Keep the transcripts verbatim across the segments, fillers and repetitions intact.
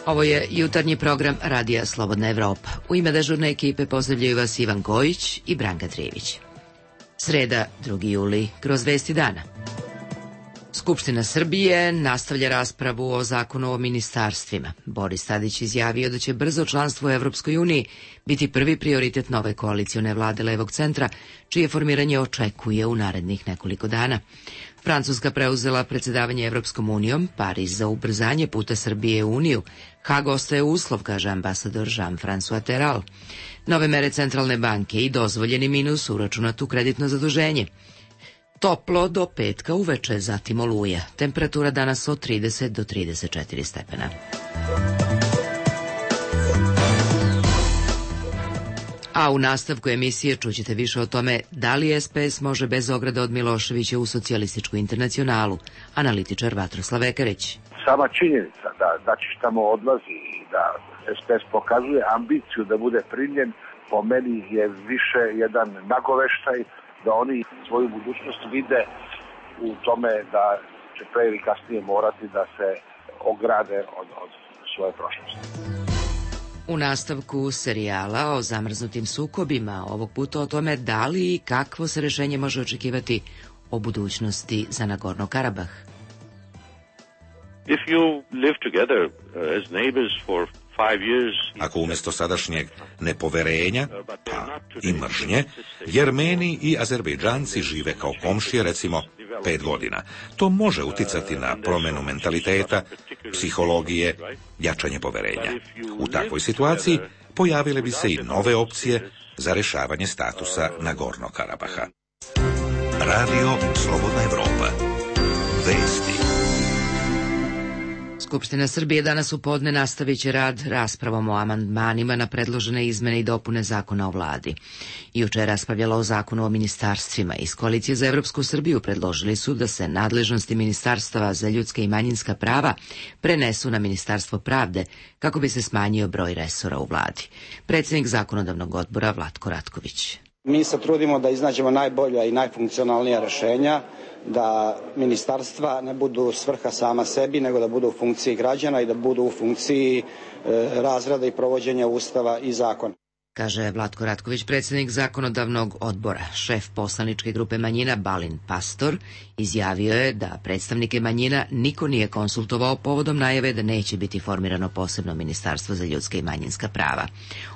Ovo je jutarnji program Radija Slobodna Evropa. U ime dežurne ekipe pozdravljaju vas Ivan Kojić i Branka Trijević. Sreda, drugi juli, kroz vesti dana. Skupština Srbije nastavlja raspravu o zakonu o ministarstvima. Boris Tadić izjavio da će brzo članstvo u Evropskoj uniji biti prvi prioritet nove koalicione vlade levog centra, čije formiranje očekuje u narednih nekoliko dana. Francuska preuzela predsedavanje Evropskom unijom, Pariz za ubrzanje puta Srbije u Uniju, Hag ostaje uslov, kaže ambasador Jean-François Terral. Nove mere centralne banke i dozvoljeni minus uračunat u kreditno zaduženje. Toplo do petka uveče, zatim oluja. Temperatura danas od trideset do trideset četiri stepena. A u nastavku emisije čućete više o tome da li S P S može bez ograda od Miloševića u socijalističku internacionalu. Analitičar Vatroslav Ekarić. Sama činjenica da Dačić tamo odlazi i da S P S pokazuje ambiciju da bude primljen, po meni je više jedan nagoveštaj da oni svoju budućnost vide u tome da će pre ili kasnije morati da se ograde od, od svoje prošlosti. U nastavku serijala o zamrznutim sukobima, ovog puta o tome da li i kakvo se rešenje može očekivati o budućnosti za Nagorno Karabah. If you live together as neighbors for Ako umjesto sadašnjeg nepoverenja, pa i mržnje, Jermeni i Azerbejdžanci žive kao komšije, recimo, pet godina, to može uticati na promjenu mentaliteta, psihologije, jačanje poverenja. U takvoj situaciji pojavile bi se i nove opcije za rešavanje statusa Nagorno Karabaha. Radio Slobodna Evropa. Vesti. Skupština Srbije danas u podne nastavit će rad raspravom o amandmanima na predložene izmene i dopune zakona o vladi. Juče raspravljala o zakonu o ministarstvima. Iz Koalicije za Evropsku Srbiju predložili su da se nadležnosti Ministarstava za ljudska i manjinska prava prenesu na Ministarstvo pravde kako bi se smanjio broj resora u vladi. Predsjednik zakonodavnog odbora Vlatko Ratković. Mi se trudimo da iznađemo najbolja i najfunkcionalnija rešenja, da ministarstva ne budu svrha sama sebi, nego da budu u funkciji građana i da budu u funkciji e, razrada i provođenja Ustava i zakona. Kaže Vlatko Ratković, predsjednik zakonodavnog odbora. Šef poslaničke grupe manjina Balint Pastor izjavio je da predstavnike manjina niko nije konsultovao povodom najave da neće biti formirano posebno ministarstvo za ljudska i manjinska prava.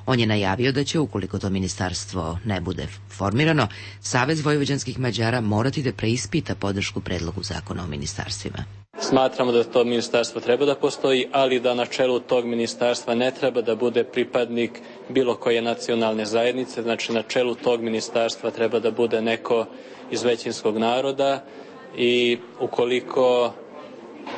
On je najavio da će, ukoliko to ministarstvo ne bude formirano, Savez vojvođanskih Mađara morati da preispita podršku predlogu zakona o ministarstvima. Smatramo da to ministarstvo treba da postoji, ali da na čelu tog ministarstva ne treba da bude pripadnik bilo koje nacionalne zajednice. Znači, na čelu tog ministarstva treba da bude neko iz većinskog naroda i ukoliko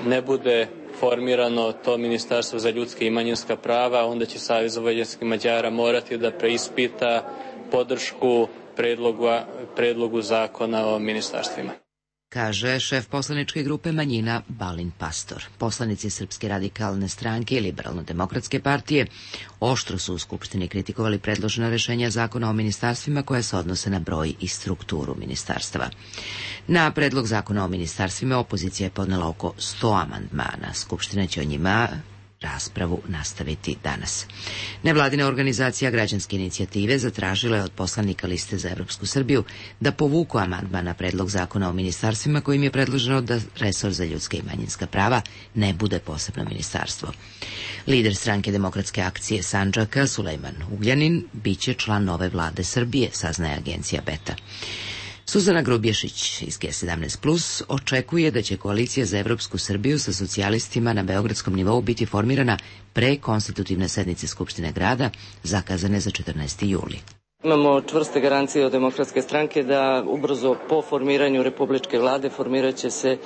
ne bude formirano to ministarstvo za ljudska i manjinska prava, onda će Savez vojvođanskih Mađara morati da preispita podršku predlogu, predlogu zakona o ministarstvima. Kaže šef poslaničke grupe manjina Balint Pastor. Poslanici Srpske radikalne stranke i Liberalno-demokratske partije oštro su u Skupštini kritikovali predložena rešenja zakona o ministarstvima koja se odnose na broj i strukturu ministarstava. Na predlog zakona o ministarstvima opozicija je podnela oko sto amandmana. Skupština će o njima raspravu nastaviti danas. Nevladina organizacija Građanske inicijative zatražila je od poslanika Liste za Evropsku Srbiju da povuku amandman na predlog zakona o ministarstvima kojim je predloženo da resor za ljudska i manjinska prava ne bude posebno ministarstvo. Lider stranke Demokratske akcije Sandžaka, Sulejman Ugljanin, biće član nove vlade Srbije, saznaje agencija Beta. Suzana Grubješić iz G sedamnaest plus očekuje da će Koalicija za Evropsku Srbiju sa socijalistima na beogradskom nivou biti formirana pre konstitutivne sednice Skupštine grada, zakazane za četrnaesti juli. Imamo čvrste garancije od Demokratske stranke da ubrzo po formiranju republičke vlade formirat će se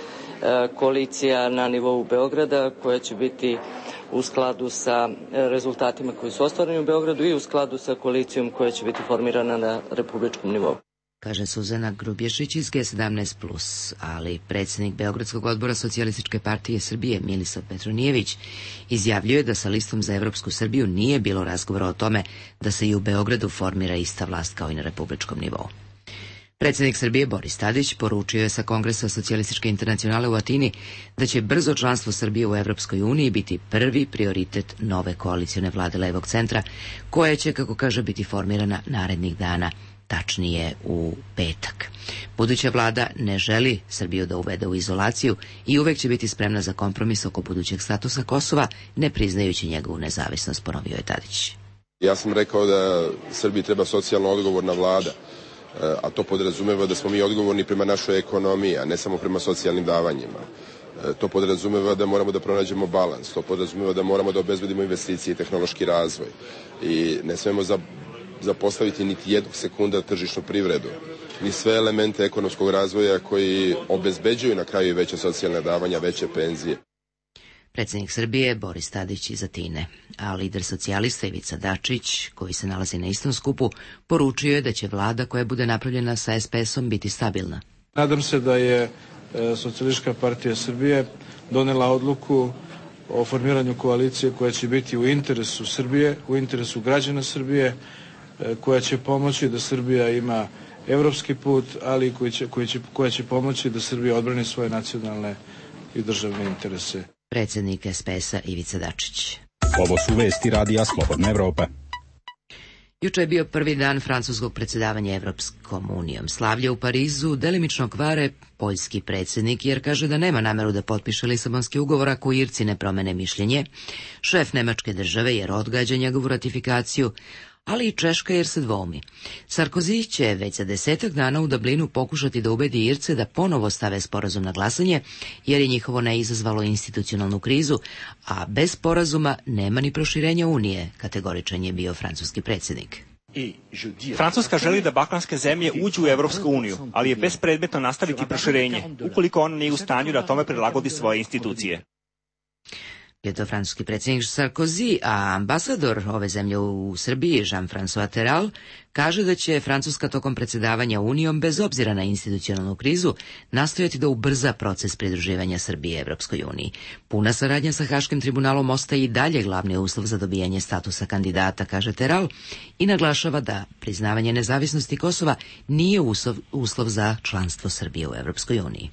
koalicija na nivou Beograda koja će biti u skladu sa rezultatima koji su ostvareni u Beogradu i u skladu sa koalicijom koja će biti formirana na republičkom nivou. Kaže Suzana Grubješić iz G sedamnaest plus, ali predsjednik Beogradskog odbora Socijalističke partije Srbije Milisav Petronijević izjavljuje da sa Listom za Evropsku Srbiju nije bilo razgovora o tome da se i u Beogradu formira ista vlast kao i na republičkom nivou. Predsjednik Srbije Boris Tadić poručio je sa Kongresa Socijalističke internacionale u Atini da će brzo članstvo Srbije u Evropskoj uniji biti prvi prioritet nove koalicione vlade levog centra, koja će, kako kaže, biti formirana narednih dana, tačnije u petak. Buduća vlada ne želi Srbiju da uvede u izolaciju i uvek će biti spremna za kompromis oko budućeg statusa Kosova, ne priznajući njegovu nezavisnost, ponovio je Tadić. Ja sam rekao da Srbiji treba socijalno odgovorna vlada, a to podrazumeva da smo mi odgovorni prema našoj ekonomiji, a ne samo prema socijalnim davanjima. To podrazumeva da moramo da pronađemo balans, to podrazumeva da moramo da obezbedimo investicije i tehnološki razvoj i ne smemo za zapostaviti niti jednog sekunda tržišnu privredu, ni sve elemente ekonomskog razvoja koji obezbeđuju na kraju veće socijalne davanja, veće penzije. Predsjednik Srbije Boris Tadić iz Atine, a lider socijalista Ivica Dačić, koji se nalazi na istom skupu, poručio je da će vlada koja bude napravljena sa es pe esom biti stabilna. Nadam se da je Socijalistička partija Srbije donela odluku o formiranju koalicije koja će biti u interesu Srbije, u interesu građana Srbije, koja će pomoći da Srbija ima evropski put, ali koji će, koji će, koja će pomoći da Srbija odbrani svoje nacionalne i državne interese. Predsjednik es pe esa Ivica Dačić. Ovo su vesti radija Slobodna Evropa. Juče je bio prvi dan francuskog predsjedavanja Evropskom unijom. Slavlje u Parizu delimično kvare poljski predsjednik, jer kaže da nema nameru da potpiše Lisabonski ugovor ako Irci ne promene mišljenje. Šef nemačke države jer odgađa njegovu ratifikaciju, ali i Češka jer se dvoumi. Sarkozy će već za desetak dana u Dublinu pokušati da ubedi Irce da ponovo stave sporazum na glasanje, jer je njihovo ne izazvalo institucionalnu krizu, a bez sporazuma nema ni proširenja Unije, kategoričan je bio francuski predsjednik. Francuska želi da balkanske zemlje uđu u Evropsku uniju, ali je bespredmetno nastaviti proširenje, ukoliko ona nije u stanju da tome prilagodi svoje institucije. Je to francuski predsjednik Sarkozy, a ambasador ove zemlje u Srbiji, Jean-François Terral, kaže da će Francuska tokom predsjedavanja Unijom, bez obzira na institucionalnu krizu, nastojati da ubrza proces pridruživanja Srbije Evropskoj uniji. Puna saradnja sa Haškim tribunalom ostaje i dalje glavni uslov za dobijanje statusa kandidata, kaže Terral, i naglašava da priznavanje nezavisnosti Kosova nije uslov, uslov za članstvo Srbije u Evropskoj uniji.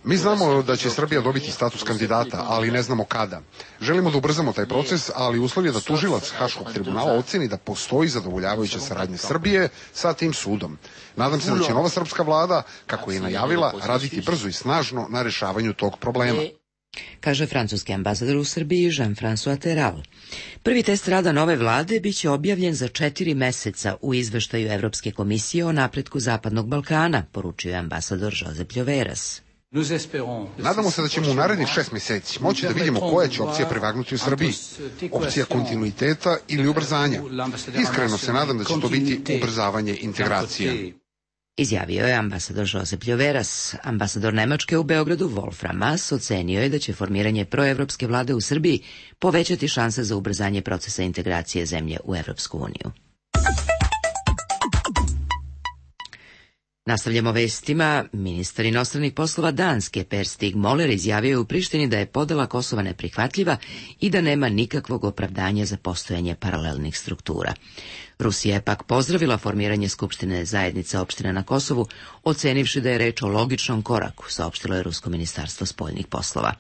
Mi znamo da će Srbija dobiti status kandidata, ali ne znamo kada. Želimo da ubrzamo taj proces, ali uslov je da tužilac Haškog tribunala oceni da postoji zadovoljavajuća saradnja Srbije sa tim sudom. Nadam se da će nova srpska vlada, kako je najavila, raditi brzo i snažno na rešavanju tog problema, kaže francuski ambasador u Srbiji Jean-François Terral. Prvi test rada nove vlade biće objavljen za četiri meseca u izveštaju Evropske komisije o napretku Zapadnog Balkana, poručio je ambasador Josep Ljoveras. Nadamo se da ćemo u narednih šest mjeseci moći da vidimo koja će opcija prevagnuti u Srbiji. Opcija kontinuiteta ili ubrzanja. Iskreno se nadam da će to biti ubrzavanje integracije, izjavio je ambasador Josep Ljoveras. Ambasador Nemačke u Beogradu Wolfram Maas ocenio je da će formiranje proevropske vlade u Srbiji povećati šanse za ubrzanje procesa integracije zemlje u Evropsku uniju. Nastavljamo vestima. Ministar inostranih poslova Danske Per Stig Moller izjavio u Prištini da je podela Kosova neprihvatljiva i da nema nikakvog opravdanja za postojanje paralelnih struktura. Rusija je pak pozdravila formiranje Skupštine zajednice opština na Kosovu, ocenivši da je reč o logičnom koraku, saopštilo je Rusko ministarstvo spoljnih poslova.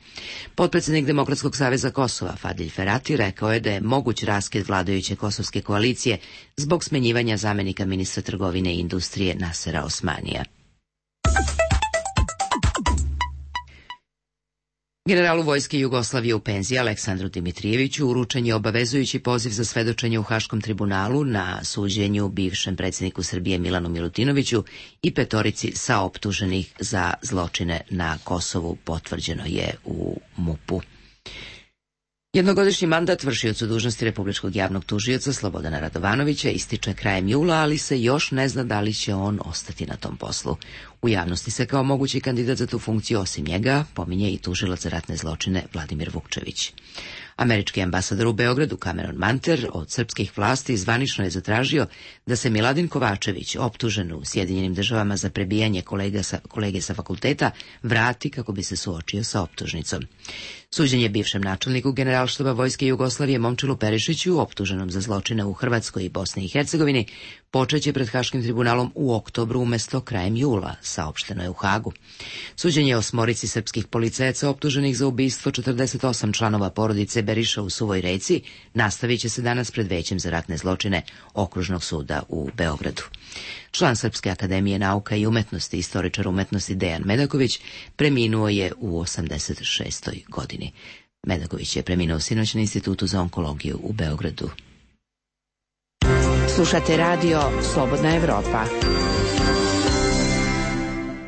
Potpredsjednik Demokratskog saveza Kosova Fadil Ferati rekao je da je moguć raskid vladajuće kosovske koalicije zbog smenjivanja zamenika ministra trgovine i industrije Nasera Osmanija. Generalu vojske Jugoslavije u penziji Aleksandru Dimitrijeviću uručen je obavezujući poziv za svedočenje u Haškom tribunalu na suđenju bivšem predsjedniku Srbije Milanu Milutinoviću i petorici saoptuženih za zločine na Kosovu, potvrđeno je u MUP-u. Jednogodišnji mandat vršiocu dužnosti Republičkog javnog tužioca Slobodana Radovanovića ističe krajem jula, ali se još ne zna da li će on ostati na tom poslu. U javnosti se kao mogući kandidat za tu funkciju osim njega pominje i tužilac za ratne zločine Vladimir Vukčević. Američki ambasador u Beogradu Cameron Manter od srpskih vlasti zvanično je zatražio da se Miladin Kovačević, optužen u Sjedinjenim državama za prebijanje kolega sa, kolege sa fakulteta, vrati kako bi se suočio sa optužnicom. Suđenje bivšem načelniku Generalštaba Vojske Jugoslavije Momčilu Perišiću, optuženom za zločine u Hrvatskoj i Bosni i Hercegovini, počeće pred Haškim tribunalom u oktobru umesto krajem jula, saopšteno je u Hagu. Suđenje osmorici srpskih policajaca optuženih za ubistvo četrdeset osam članova porodice Beriša u Suvoj Reci nastavit će se danas pred Većem za ratne zločine Okružnog suda u Beogradu. Član Srpske akademije nauka i umetnosti, istoričar umetnosti Dejan Medaković, preminuo je u osamdeset šestoj godini. Medaković je preminuo sinoć na Institutu za onkologiju u Beogradu. Slušate radio Slobodna Evropa.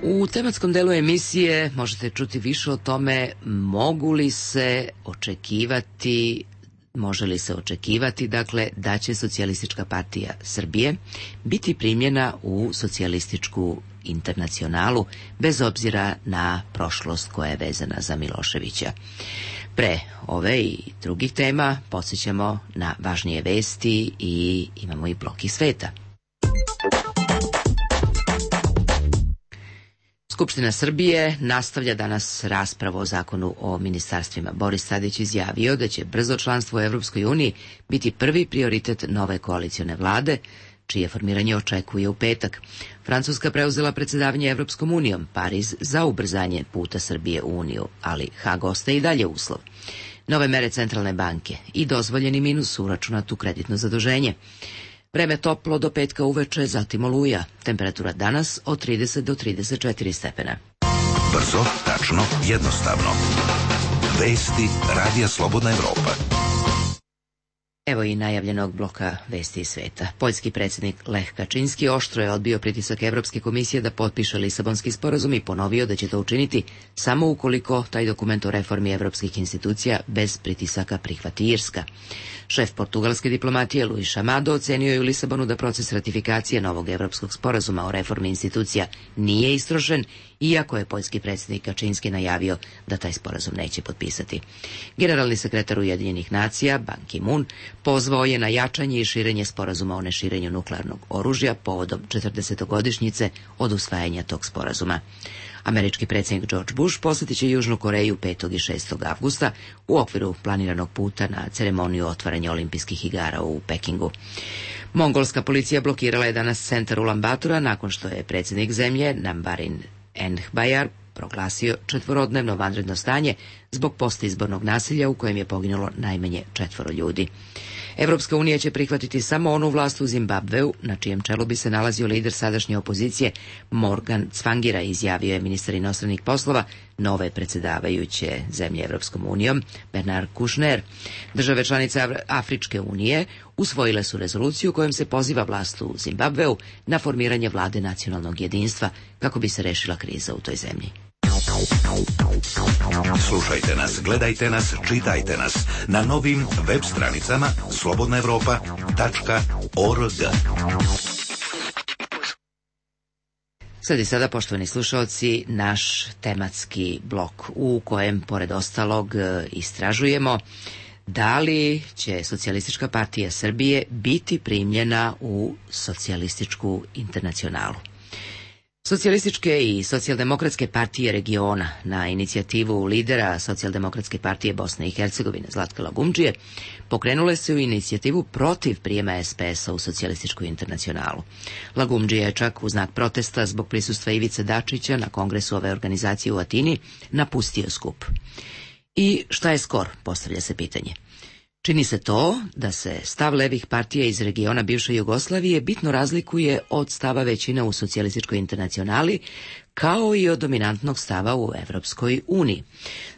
U tematskom delu emisije možete čuti više o tome mogu li se očekivati Može li se očekivati, dakle, da će Socijalistička partija Srbije biti primljena u socijalističku internacionalu, bez obzira na prošlost koja je vezana za Miloševića. Pre ove i drugih tema podsjećamo na važnije vesti i imamo i blok iz sveta. Skupština Srbije nastavlja danas raspravu o zakonu o ministarstvima. Boris Tadić izjavio da će brzo članstvo u Evropskoj uniji biti prvi prioritet nove koalicione vlade, čije formiranje očekuje u petak. Francuska preuzela predsjedavanje Evropskom unijom, Pariz za ubrzanje puta Srbije u uniju, ali Hag ostaje i dalje uslov. Nove mere centralne banke i dozvoljeni minus uračunat u kreditno zaduženje. Vreme toplo do petka uveče, zatim oluja. Temperatura danas od trideset do trideset četiri stepena. Brzo, tačno, jednostavno. Vesti Radija Slobodna Evropa. Evo i najavljenog bloka vesti iz sveta. Poljski predsjednik Lech Kačinski oštro je odbio pritisak Evropske komisije da potpiše Lisabonski sporazum i ponovio da će to učiniti samo ukoliko taj dokument o reformi evropskih institucija bez pritisaka prihvati Irska. Šef portugalske diplomatije Luis Chamado ocenio je u Lisabonu da proces ratifikacije novog evropskog sporazuma o reformi institucija nije istrošen, iako je poljski predsjednik Kačinski najavio da taj sporazum neće potpisati. Generalni sekretar Ujedinjenih nacija Ban Ki-moon pozvao je na jačanje i širenje sporazuma o neširenju nuklearnog oružja povodom četrdesetogodišnjice od usvajanja tog sporazuma. Američki predsjednik George Bush posjetit će Južnu Koreju petog i šestog avgusta u okviru planiranog puta na ceremoniju otvaranja olimpijskih igara u Pekingu. Mongolska policija blokirala je danas centar Ulan-Batora nakon što je predsjednik zemlje Nambarin Enhbayar proglasio četvorodnevno vanredno stanje zbog postizbornog nasilja u kojem je poginulo najmanje četvoro ljudi. Evropska unija će prihvatiti samo onu vlast u Zimbabveu, na čijem čelu bi se nalazio lider sadašnje opozicije Morgan Tsvangira, izjavio je ministar inostranih poslova nove predsjedavajuće zemlje Evropskom unijom Bernard Kouchner. Države članice Afričke unije usvojile su rezoluciju kojom se poziva vlast u Zimbabveu na formiranje vlade nacionalnog jedinstva kako bi se rešila kriza u toj zemlji. Slušajte nas, gledajte nas, čitajte nas na novim web stranicama slobodna evropa tačka org. Sad i sada, poštovani slušalci, naš tematski blok u kojem, pored ostalog, istražujemo da li će Socijalistička partija Srbije biti primljena u socijalističku internacionalu. Socijalističke i socijaldemokratske partije regiona na inicijativu lidera Socijaldemokratske partije Bosne i Hercegovine Zlatka Lagumdžije pokrenule su inicijativu protiv prijema es pe es a u socijalističku internacionalu. Lagumdžija je čak u znak protesta zbog prisustva Ivice Dačića na kongresu ove organizacije u Atini napustio skup. I šta je skor, postavlja se pitanje. Čini se to da se stav levih partija iz regiona bivše Jugoslavije bitno razlikuje od stava većine u socijalističkoj internacionali, kao i od dominantnog stava u Evropskoj uniji.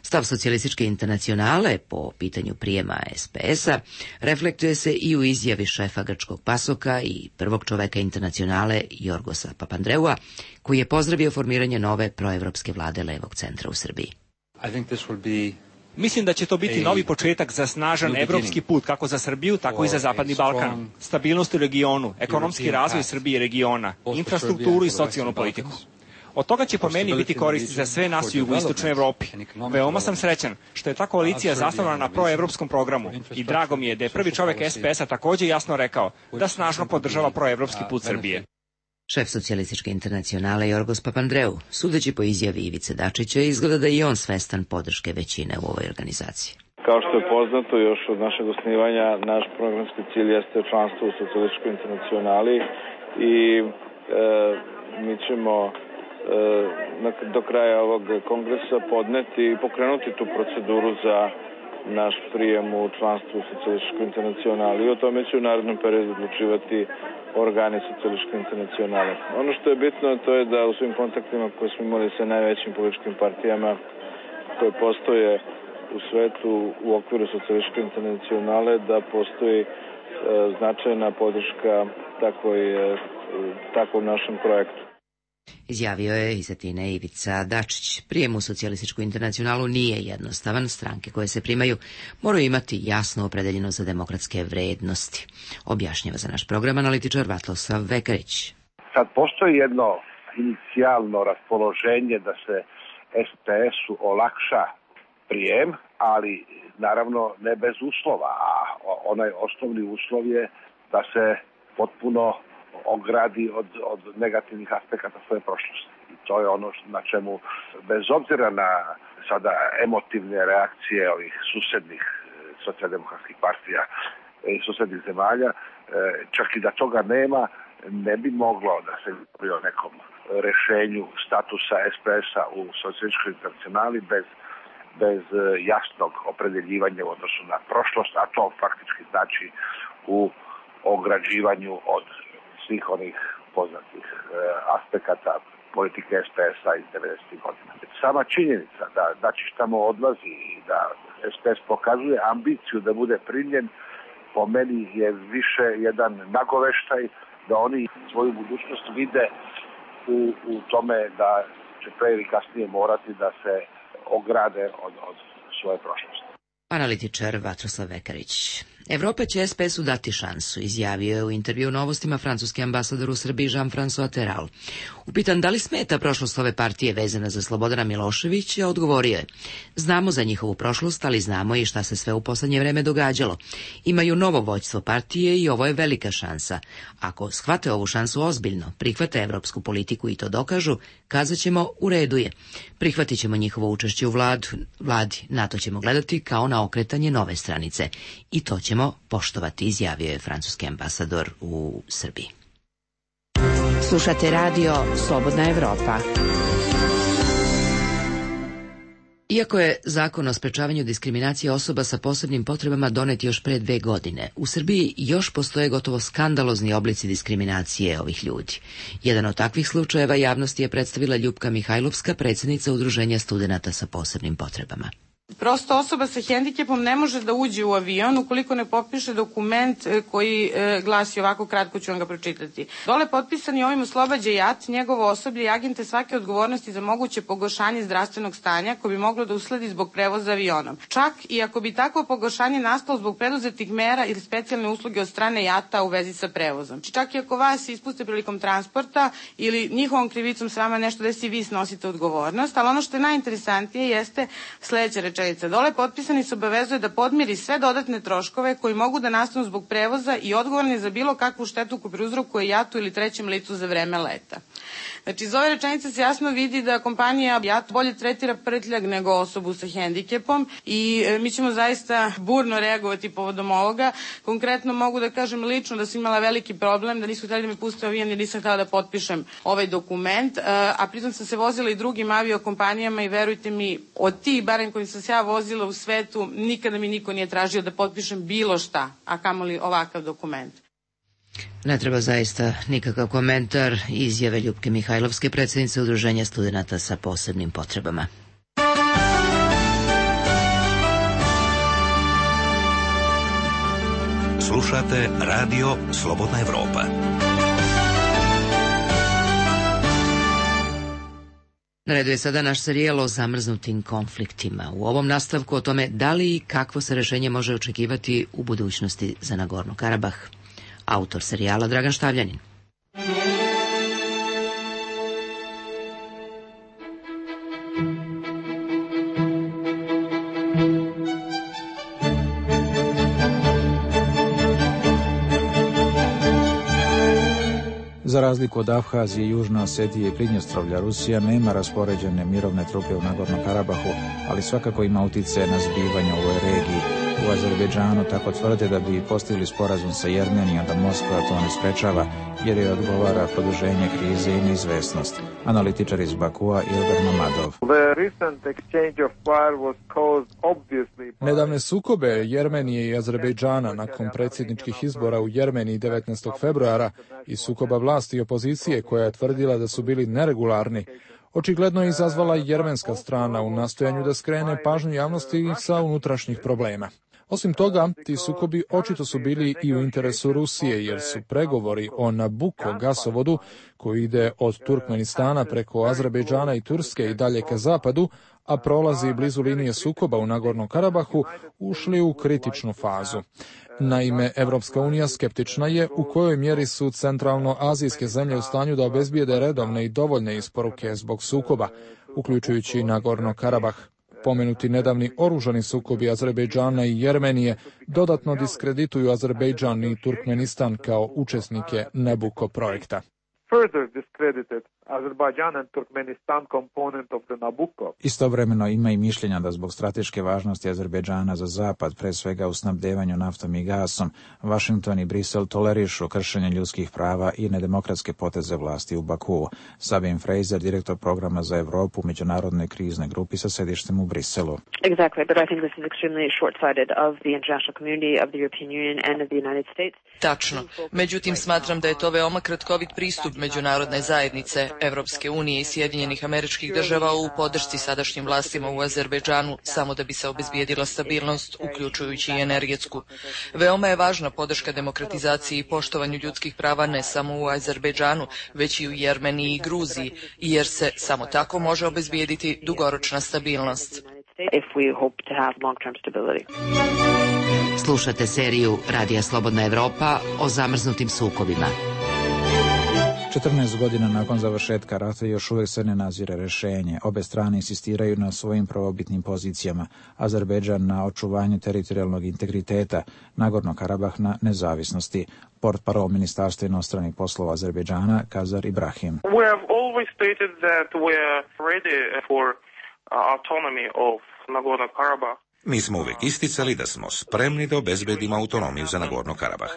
Stav socijalističke internacionale po pitanju prijema es pe es a reflektuje se i u izjavi šefa grčkog pasoka i prvog čoveka internacionale Jorgosa Papandreua, koji je pozdravio formiranje nove proevropske vlade levog centra u Srbiji. I think this will be Mislim da će to biti novi početak za snažan evropski put, kako za Srbiju, tako i za Zapadni Balkan. Stabilnost u regionu, ekonomski razvoj Srbije i regiona, infrastrukturu i socijalnu politiku. Od toga će po meni biti koristi za sve nas u jugoistočnoj Evropi. Veoma sam srećan što je ta koalicija zasnovana na proevropskom programu i drago mi je da je prvi čovek es pe es a takođe jasno rekao da snažno podržava proevropski put Srbije. Šef socijalističke internacionale Jorgos Papandreou, sudeći po izjavi Ivice Dačića, izgleda da je i on svestan podrške većine u ovoj organizaciji. Kao što je poznato još od našeg osnivanja, naš programski cilj jeste članstvo u socijalističkoj internacionali i e, mi ćemo e, do kraja ovog kongresa podneti i pokrenuti tu proceduru za naš prijem u članstvo u socijalističkoj internacionali i o tome će u narednom periodu odlučivati organi socijalističke internacionale. Ono što je bitno to je da u svim kontaktima koje smo imali sa najvećim političkim partijama koje postoje u svetu u okviru socijalističke internacionale da postoji e, značajna podrška takvoj, e, takvom našem projektu. Izjavio je iz Atine Ivica Dačić. Prijem u socijalističku internacionalu nije jednostavan. Stranke koje se primaju moraju imati jasno opredeljeno za demokratske vrednosti. Objašnjava za naš program analitičar Vatlosav Vekarić. Sad postoji jedno inicijalno raspoloženje da se es pe esu olakša prijem, ali naravno ne bez uslova, a onaj osnovni uslov je da se potpuno ogradi od, od negativnih aspekata svoje prošlosti. I to je ono na čemu, bez obzira na sada emotivne reakcije ovih susednih socijaldemokratskih partija i susednih zemalja, čak i da toga nema, ne bi moglo da se govori o nekom rešenju statusa es pe esa u socijalističkoj internacionali bez, bez jasnog opredeljivanja u odnosu na prošlost, a to faktički znači u ograđivanju od svih onih poznatih e, aspekata politike es pe esa iz devedesetih godina. Sama činjenica da Dačić tamo odlazi i da es pe es pokazuje ambiciju da bude primljen, po meni je više jedan nagoveštaj da oni svoju budućnost vide u, u tome da će pre ili kasnije morati da se ograde od, od svoje prošlosti. Analitičar Vatroslav Vekarić. Evropa će es pe esu dati šansu, izjavio je u intervju Novostima francuski ambasador u Srbiji Jean-François Terral. Upitan da li smeta prošlost ove partije vezana za Slobodana Miloševića, odgovorio je: znamo za njihovu prošlost, ali znamo i šta se sve u poslednje vreme događalo. Imaju novo vođstvo partije i ovo je velika šansa. Ako shvate ovu šansu ozbiljno, prihvate evropsku politiku i to dokažu, kazat ćemo u redu je. Prihvatit ćemo njihovo učešće u vladu, vladi, na to ćemo gledati kao na okretanje nove stranice. I to ćemo poštovati, izjavio je francuski ambasador u Srbiji. Slušate radio Slobodna Evropa. Iako je zakon o sprečavanju diskriminacije osoba sa posebnim potrebama donet još pre dve godine, u Srbiji još postoje gotovo skandalozni oblici diskriminacije ovih ljudi. Jedan od takvih slučajeva javnosti je predstavila Ljupka Mihajlovska, predsjednica Udruženja studenata sa posebnim potrebama. Prosto osoba sa hendikepom ne može da uđe u avion ukoliko ne potpiše dokument koji glasi ovako, kratko ću vam ga pročitati. Dole potpisani ovim oslobađa JAT, njegovo osoblje i agente svake odgovornosti za moguće pogoršanje zdravstvenog stanja koje bi moglo da usledi zbog prevoza avionom. Čak i ako bi takvo pogoršanje nastalo zbog preduzetih mera ili specijalne usluge od strane JAT-a u vezi sa prevozom. Čak i ako vas ispuste prilikom transporta ili njihovom krivicom s vama nešto desi, vi snosite odgovornost, ali ono što je najinteresantnije jeste sledeća rečenica. Dole potpisani se obavezuje da podmiri sve dodatne troškove koji mogu da nastanu zbog prevoza i odgovorni za bilo kakvu štetu koju prouzrokuje JAT-u ili trećem licu za vreme leta. Znači, iz ove rečenice se jasno vidi da kompanija JAT bolje tretira prtljag nego osobu sa hendikepom i e, mi ćemo zaista burno reagovati povodom ovoga. Konkretno mogu da kažem lično da sam imala veliki problem, da nisu htjeli da me puste avion jer nisam htjela da potpišem ovaj dokument, e, a pritom sam se vozila i drugim aviokompanijama i verujte mi, od tih barem kojim sam se ja vozila u svetu, nikada mi niko nije tražio da potpišem bilo šta, a kamoli ovakav dokument. Ne treba zaista nikakav komentar izjave Ljupke Mihajlovske, predsjednice Udruženja studenata sa posebnim potrebama. Slušate radio Slobodna Evropa. Na redu je sada naš serijal o zamrznutim konfliktima. U ovom nastavku o tome da li i kakvo se rešenje može očekivati u budućnosti za Nagorno Karabah. Autor serijala Dragan Štavljanin. Za razliku od Abhazije, Južne Osetije i Pridnjestrovlja, Rusija nema raspoređene mirovne trupe u Nagorno-Karabahu, ali svakako ima uticaje na zbivanja u ovoj regiji. U Azerbejdžanu tako tvrde da bi postigli sporazum sa Jermenijom, da Moskva to ne sprečava, jer je odgovara produženje krize i neizvesnost. Analitičar iz Bakua Ilgar Mamadov. Nedavne sukobe Jermenije i Azerbejdžana nakon predsjedničkih izbora u Jermeniji devetnaestog februara i sukoba vlasti i opozicije koja je tvrdila da su bili neregularni, očigledno je izazvala jermenska strana u nastojanju da skrene pažnju javnosti sa unutrašnjih problema. Osim toga, ti sukobi očito su bili i u interesu Rusije, jer su pregovori o Nabucco gasovodu, koji ide od Turkmenistana preko Azerbejdžana i Turske i dalje ka zapadu, a prolazi blizu linije sukoba u Nagornom Karabahu, ušli u kritičnu fazu. Naime, Evropska unija skeptična je u kojoj mjeri su centralno-azijske zemlje u stanju da obezbijede redovne i dovoljne isporuke zbog sukoba, uključujući i Nagorno Karabah. Pomenuti nedavni oružani sukobi Azerbejdžana i Jermenije dodatno diskredituju Azerbejdžan i Turkmenistan kao učesnike Nabucco projekta. Istovremeno ima i mišljenja da zbog strateške važnosti Azerbejdžana za zapad, pre svega u snabdevanju naftom i gasom, Washington i Brisel tolerišu kršenje ljudskih prava i nedemokratske poteze vlasti u Bakuu. Sabine Fraser, direktor programa za Evropu u međunarodnoj kriznoj grupi sa sedištem u Briselu. Exactly, but I think this is extremely short-sighted of the international community, of the European Union and of the United States. Tačno. Međutim, smatram da je to veoma kratkovit pristup međunarodne zajednice, Evropske unije i Sjedinjenih Američkih Država u podršci sadašnjim vlastima u Azerbejdžanu samo da bi se obezbijedila stabilnost, uključujući i energetsku. Veoma je važna podrška demokratizaciji i poštovanju ljudskih prava ne samo u Azerbejdžanu, već i u Jermeniji i Gruziji, jer se samo tako može obezbijediti dugoročna stabilnost. Slušate seriju Radija Slobodna Evropa o zamrznutim sukobima. četrnaest godina nakon završetka rata još uvijek se ne nazire rješenje. Obe strane insistiraju na svojim prvobitnim pozicijama. Azerbejdžan na očuvanju teritorijalnog integriteta, Nagorno Karabah na nezavisnosti. Portparol Ministarstva inostranih poslova Azerbejdžana Kazar Ibrahim. We have always stated that we are ready for autonomy of Nagorno Karabakh. Mi smo uvijek isticali da smo spremni da obezbedimo autonomiju za Nagorno Karabah.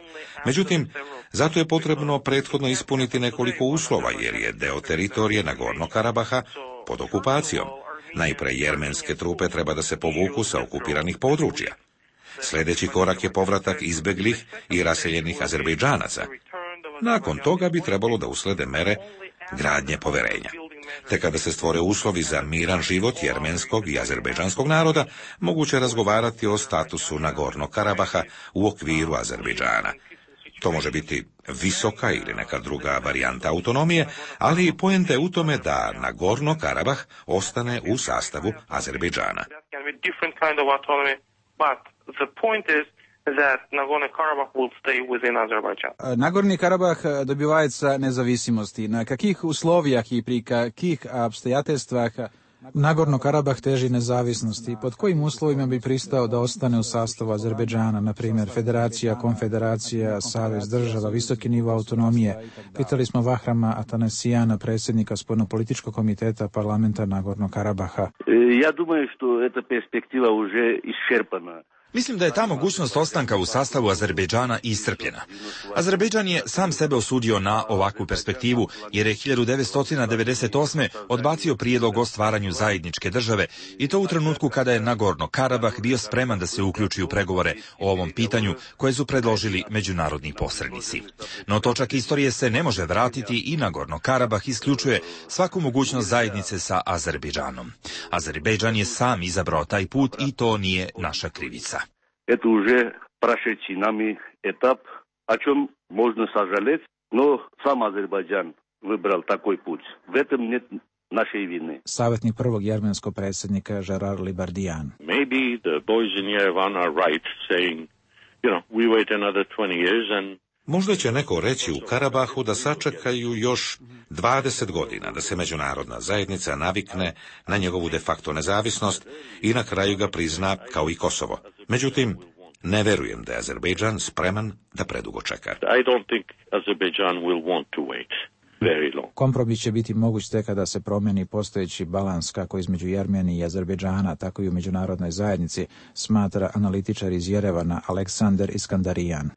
Međutim, zato je potrebno prethodno ispuniti nekoliko uslova, jer je deo teritorije Nagorno Karabaha pod okupacijom. Najpre jermenske trupe treba da se povuku sa okupiranih područja. Sljedeći korak je povratak izbeglih i raseljenih Azerbejdžanaca. Nakon toga bi trebalo da uslede mere gradnje poverenja. Te kada se stvore uslovi za miran život jermenskog i azerbejdžanskog naroda, moguće razgovarati o statusu Nagorno Karabaha u okviru Azerbejdžana. To može biti visoka ili neka druga varijanta autonomije, ali poenta je u tome da Nagorno Karabah ostane u sastavu Azerbejdžana. That Nagorno-Karabakh will stay within Azerbaijan. Nagorni Karabah dobivается независимости. На каких условиях и при каких обстоятельствах Nagorno Karabah teži nezavisnosti? Pod kojim uslovima bi pristao da ostane u sastavu Azerbejdžana, na primjer federacija, konfederacija, savez država, visoki nivo autonomije? Pitali smo Vahrama Atanasijana, predsjednika spoljnopolitičkog komiteta parlamenta Nagorno Karabaha. Ja думаю, что эта перспектива уже исчерпана. Mislim da je ta mogućnost ostanka u sastavu Azerbejdžana iscrpljena. Azerbejdžan je sam sebe osudio na ovakvu perspektivu, jer je hiljadu devetsto devedeset osme. odbacio prijedlog o stvaranju zajedničke države, i to u trenutku kada je Nagorno Karabah bio spreman da se uključi u pregovore o ovom pitanju koje su predložili međunarodni posrednici. No točak istorije se ne može vratiti i Nagorno Karabah isključuje svaku mogućnost zajednice sa Azerbejdžanom. Azerbejdžan je sam izabrao taj put i to nije naša krivica. Это уже прошедший нами этап, о чем можно сожалеть, но сам Азербайджан выбрал такой путь. В этом нет našej vine. Savjetnik prvog jermenskog predsjednika Gerard Libardijan. Maybe the boys in Yerevan are right saying, you know, we wait another twenty years and Možda će neko reći u Karabahu da sačekaju još dvadeset godina da se međunarodna zajednica navikne na njegovu de facto nezavisnost i na kraju ga prizna kao i Kosovo. Međutim, Ne verujem da je Azerbejdžan spreman da predugo čeka. I don't think Azerbaijan will want to wait very long. Kompromis će biti moguć tek kada se promeni postojeći balans kako između Jermenije i Azerbejdžana, tako i u međunarodnoj zajednici, smatra analitičar iz Jerevana Aleksandar Iskandarijan.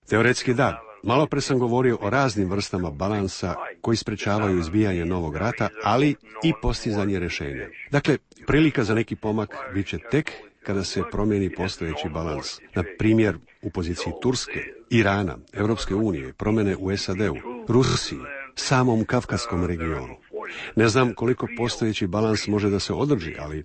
Teoretski da. Malo pre sam govorio o raznim vrstama balansa koji sprečavaju izbijanje novog rata, ali i postizanje rješenja. Dakle, prilika za neki pomak bit će tek kada se promijeni postojeći balans. Na primjer, u poziciji Turske, Irana, Europske unije, promjene u S A D-u, Rusiji, samom Kavkazskom regionu. Ne znam koliko postojeći balans može da se održi, ali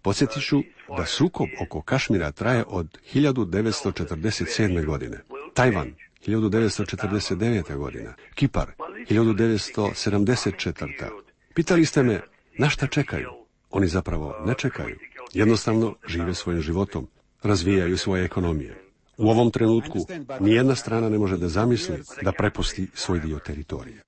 podsjetit ću da sukob oko Kašmira traje od hiljadu devetsto četrdeset sedme. godine. Tajvan, hiljadu devetsto četrdeset devete. godina. Kipar, hiljadu devetsto sedamdeset četvrte. Pitali ste me na šta čekaju? Oni zapravo ne čekaju. Jednostavno žive svojim životom, razvijaju svoje ekonomije. U ovom trenutku nijedna strana ne može da zamisli da prepusti svoj dio teritorije.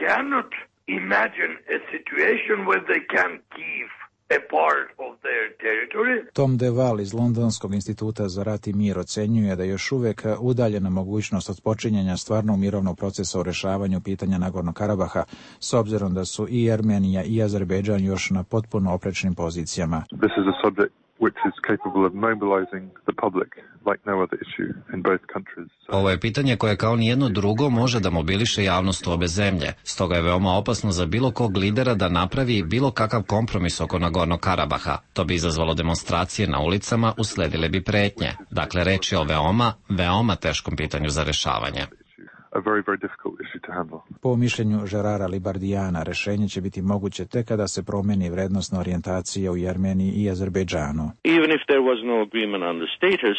Cannot imagine a situation where they can keep a part of their territory. Tom DeVal iz Londonskog instituta za rat i mir ocenjuje da je još uvijek udaljena mogućnost od počinjenja stvarnog mirovnog procesa u rešavanju pitanja Nagornog Karabaha, s obzirom da su i Armenija i Azerbejdžan još na potpuno oprečnim pozicijama. This is a subject which is capable of mobilizing the public like no other issue in both countries. Ovo je pitanje koje kao nijedno drugo može da mobiliše javnost u obe zemlje. Stoga je veoma opasno za bilo kog lidera da napravi bilo kakav kompromis oko Nagornog Karabaha. To bi izazvalo demonstracije na ulicama, usledile bi pretnje. Dakle, reč je o veoma, veoma teškom pitanju za rešavanje. A very, very difficult issue to handle. Po mišljenju Žerara Libardijana, rešenje će biti moguće tek kada se promeni vrednostna orijentacija u Jermeniji i Azerbejdžanu. Even if there was no agreement on the status,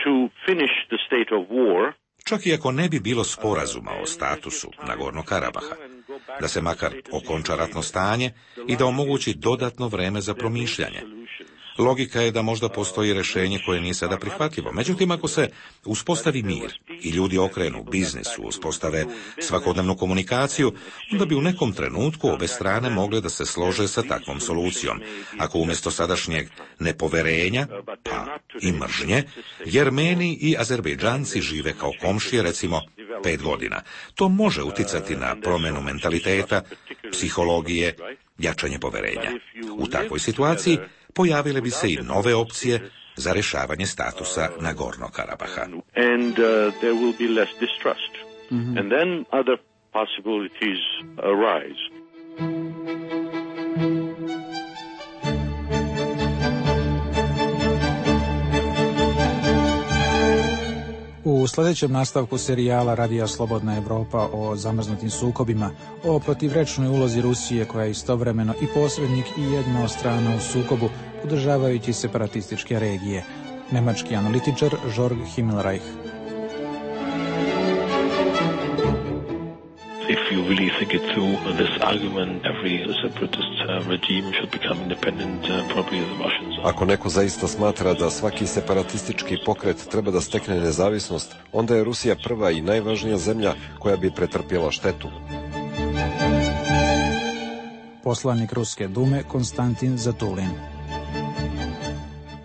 to finish the state of war, čak i ako ne bi bilo sporazuma o statusu Nagornog Karabaha, da se makar okonča ratno stanje i da omogući dodatno vreme za promišljanje. Logika je da možda postoji rješenje koje nije sada prihvatljivo. Međutim, ako se uspostavi mir i ljudi okrenu biznisu, uspostave svakodnevnu komunikaciju, onda bi u nekom trenutku obe strane mogle da se slože sa takvom solucijom. Ako umjesto sadašnjeg nepoverenja, pa i mržnje, Jermeni i Azerbejdžanci žive kao komšije, recimo, pet godina. To može uticati na promjenu mentaliteta, psihologije, jačanje poverenja. U takvoj situaciji pojavile bi se i nove opcije za rješavanje statusa Nagornog Karabaha. And uh, there will be less distrust. Mm-hmm. And then other possibilities arise. U sljedećem nastavku serijala Radija Slobodna Evropa o zamrznutim sukobima, o protivrečnoj ulozi Rusije koja je istovremeno i posrednik i jedna od strana u sukobu, podržavajući separatističke regije. Nemački analitičar Jörg Himmelreich. If you really think it through, this argument, every separatist uh, regime should become independent, uh, probably the Russians. Ako neko zaista smatra da svaki separatistički pokret treba da stekne nezavisnost, onda je Rusija prva i najvažnija zemlja koja bi pretrpjela štetu. Poslanik Ruske dume Konstantin Zatulin.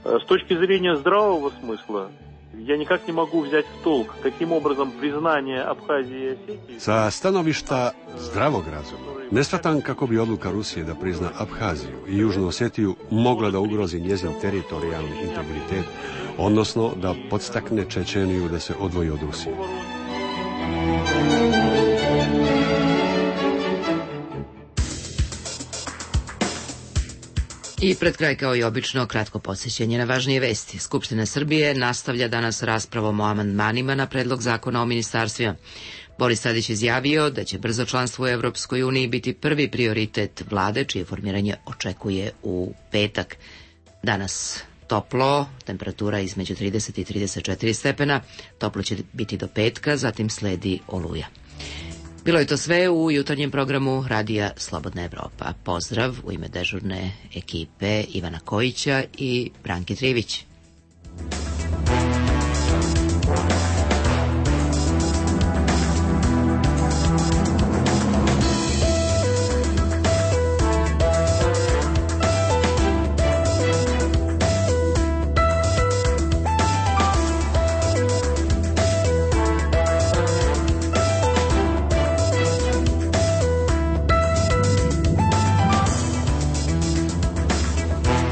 С точки зрения здравого смысла, я никак не могу взять в толк, каким образом признание Абхазии и Осетии... Sa stanovišta zdravog razuma, ne shvatam kako bi odluka Rusije da prizna Abhaziju i Južnu Osetiju mogla da ugrozi njezin teritorijalni integritet, odnosno da podstakne Čečeniju da se odvoji od Rusije. I pred kraj, kao i obično, kratko podsjećanje na važnije vesti. Skupština Srbije nastavlja danas raspravom o amandmanima na predlog zakona o ministarstvima. Boris Tadić izjavio da će brzo članstvo u Evropskoj uniji biti prvi prioritet vlade, čije formiranje očekuje u petak. Danas toplo, temperatura između trideset i trideset četiri stepena, toplo će biti do petka, zatim sledi oluja. Bilo je to sve u jutarnjem programu Radija Slobodna Evropa. Pozdrav u ime dežurne ekipe Ivana Kojića i Branke Trivić.